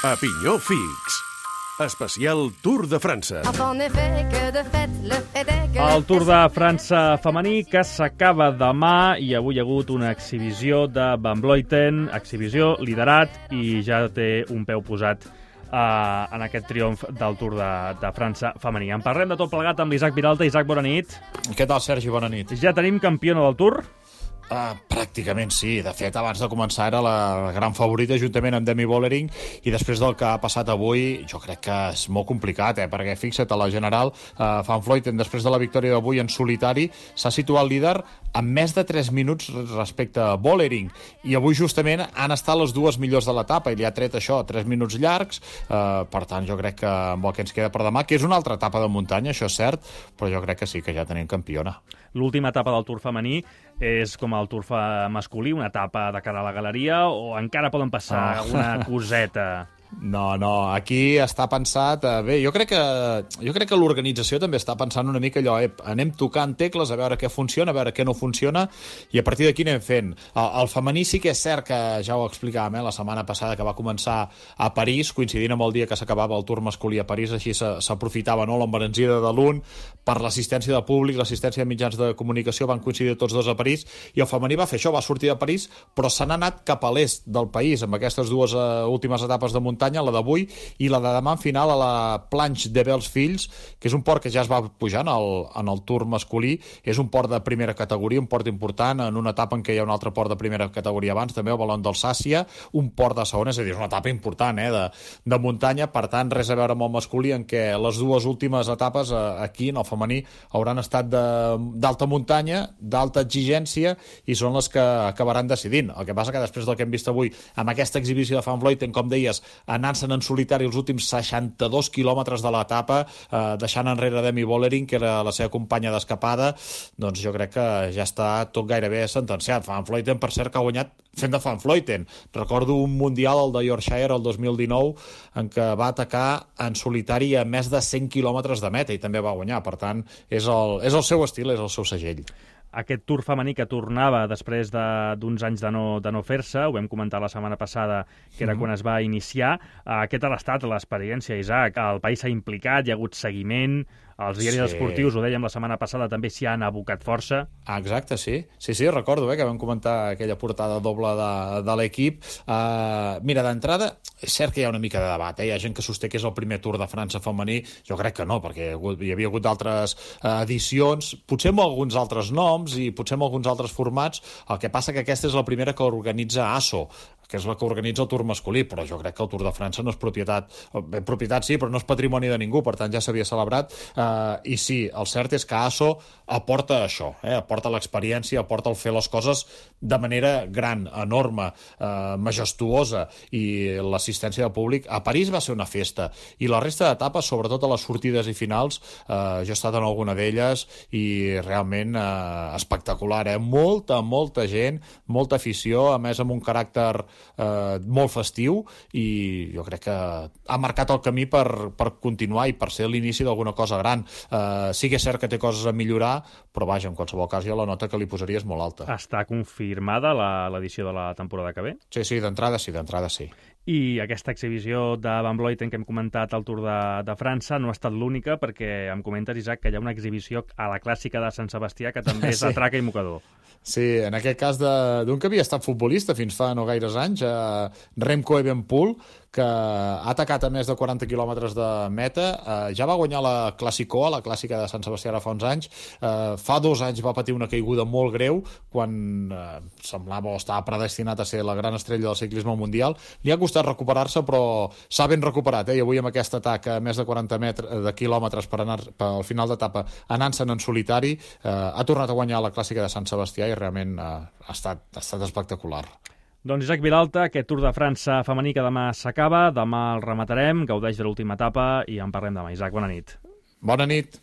A pinyó fix. Especial Tour de França. El Tour de França femení que s'acaba demà i avui hi ha hagut una exhibició de Van Vleuten, exhibició liderat i ja té un peu posat en aquest triomf del Tour de França femení. En parlem de tot plegat amb l'Isaac Viralta. Isaac, bona nit. Què tal, Sergi? Bona nit. Ja tenim campiona del Tour? Pràcticament sí. De fet, abans de començar era la gran favorita juntament amb Demi Vollering, i després del que ha passat avui jo crec que és molt complicat, perquè fixa't, a la general Van Vleuten, després de la victòria d'avui en solitari, s'ha situat líder amb més de 3 minuts respecte a Vollering, i avui justament han estat les dues millors de l'etapa i li ha tret això, 3 minuts llargs. Per tant, jo crec que amb el que ens queda per demà, que és una altra etapa de muntanya, això és cert, però jo crec que sí, que ja tenim campiona. L'última etapa del Tour femení és com el Tour masculí, una etapa de cara a la galeria, o encara poden passar alguna coseta? No, aquí està pensat... Bé, jo crec que l'organització també està pensant una mica allò, anem tocant tecles a veure què funciona, a veure què no funciona, i a partir d'aquí anem fent. El femení sí que és cert que, ja ho explicàvem, la setmana passada, que va començar a París, coincidint amb el dia que s'acabava el Tour masculí a París, així s'aprofitava l'embranzida de l'un per l'assistència de públic, l'assistència de mitjans de comunicació, van coincidir tots dos a París, i el femení va fer això, va sortir de París, però se n'ha anat cap a l'est del país, amb aquestes dues últimes etapes de muntanya, la d'avui i la de demà en final a la Planche de Belles-Filles, que és un port que ja es va pujar en el Tour masculí. És un port de primera categoria, un port important, en una etapa en què hi ha un altre port de primera categoria abans, també el Ballon d'Alsàcia, un port de segona, és a dir, és una etapa important de muntanya. Per tant, res a veure amb el masculí, en què les dues últimes etapes aquí, en el femení, hauran estat d'alta muntanya, d'alta exigència, i són les que acabaran decidint. El que passa que després del que hem vist avui, amb aquesta exhibició de Van Vleuten, com deies, anant-se'n en solitari els últims 62 quilòmetres de l'etapa, deixant enrere Demi Vollering, que era la seva companya d'escapada, doncs jo crec que ja està tot gairebé sentenciat. Van Vleuten, per cert, que ha guanyat fent de Van Vleuten. Recordo un mundial, el de Yorkshire, el 2019, en què va atacar en solitari a més de 100 quilòmetres de meta i també va guanyar. Per tant, és el seu estil, és el seu segell. Aquest Tour femení que tornava després d'uns anys de no fer-se, ho vam comentar la setmana passada, que era quan es va iniciar. Aquest ha estat l'experiència, Isaac. El país s'ha implicat, hi ha hagut seguiment, els diaris esportius, ho dèiem la setmana passada, també s'hi han abocat força. Exacte, sí. Sí, recordo que vam comentar aquella portada doble de l'equip. Mira, d'entrada, és cert que hi ha una mica de debat. Hi ha gent que sosté que és el primer Tour de França femení. Jo crec que no, perquè hi havia hagut altres edicions, potser amb alguns altres noms i potser amb alguns altres formats. El que passa que aquesta és la primera que organitza ASO, que és la que organitza el Tour masculí, però jo crec que el Tour de França no és propietat sí, però no és patrimoni de ningú, per tant ja s'havia celebrat. I sí, el cert és que ASO aporta això, aporta l'experiència, aporta el fer les coses de manera gran, enorme, majestuosa, i l'assistència de públic. A París va ser una festa, i la resta d'etapes, sobretot a les sortides i finals, jo he estat en alguna d'elles i realment espectacular, molta gent, molta afició, a més amb un caràcter molt festiu, i jo crec que ha marcat el camí per continuar i per ser l'inici d'alguna cosa gran. Sí que és cert que té coses a millorar, però vaja, en qualsevol cas jo la nota que li posaria és molt alta. Està confirmada l'edició de la temporada que ve? Sí, d'entrada sí. I aquesta exhibició de Van Vleuten que hem comentat al Tour de França no ha estat l'única, perquè em comentes, Isaac, que hi ha una exhibició a la clàssica de Sant Sebastià que també és de traca i mocador. Sí, en aquest cas d'un que havia estat futbolista fins fa no gaires anys, Remco Evenepoel, que ha atacat a més de 40 quilòmetres de meta. Ja va guanyar la Clàssica, la clàssica de Sant Sebastià ara fa uns anys. Fa 2 anys va patir una caiguda molt greu, quan semblava o estava predestinat a ser la gran estrella del ciclisme mundial. Li ha costat recuperar-se, però s'ha ben recuperat, i avui amb aquest atac a més de 40 quilòmetres per anar al final d'etapa, anant-se'n en solitari, ha tornat a guanyar la Clàssica de Sant Sebastià i realment ha estat espectacular. Doncs Isaac Viralta, aquest Tour de França femení que demà s'acaba, demà el rematarem, gaudeix de l'última etapa i en parlem demà. Isaac, bona nit. Bona nit.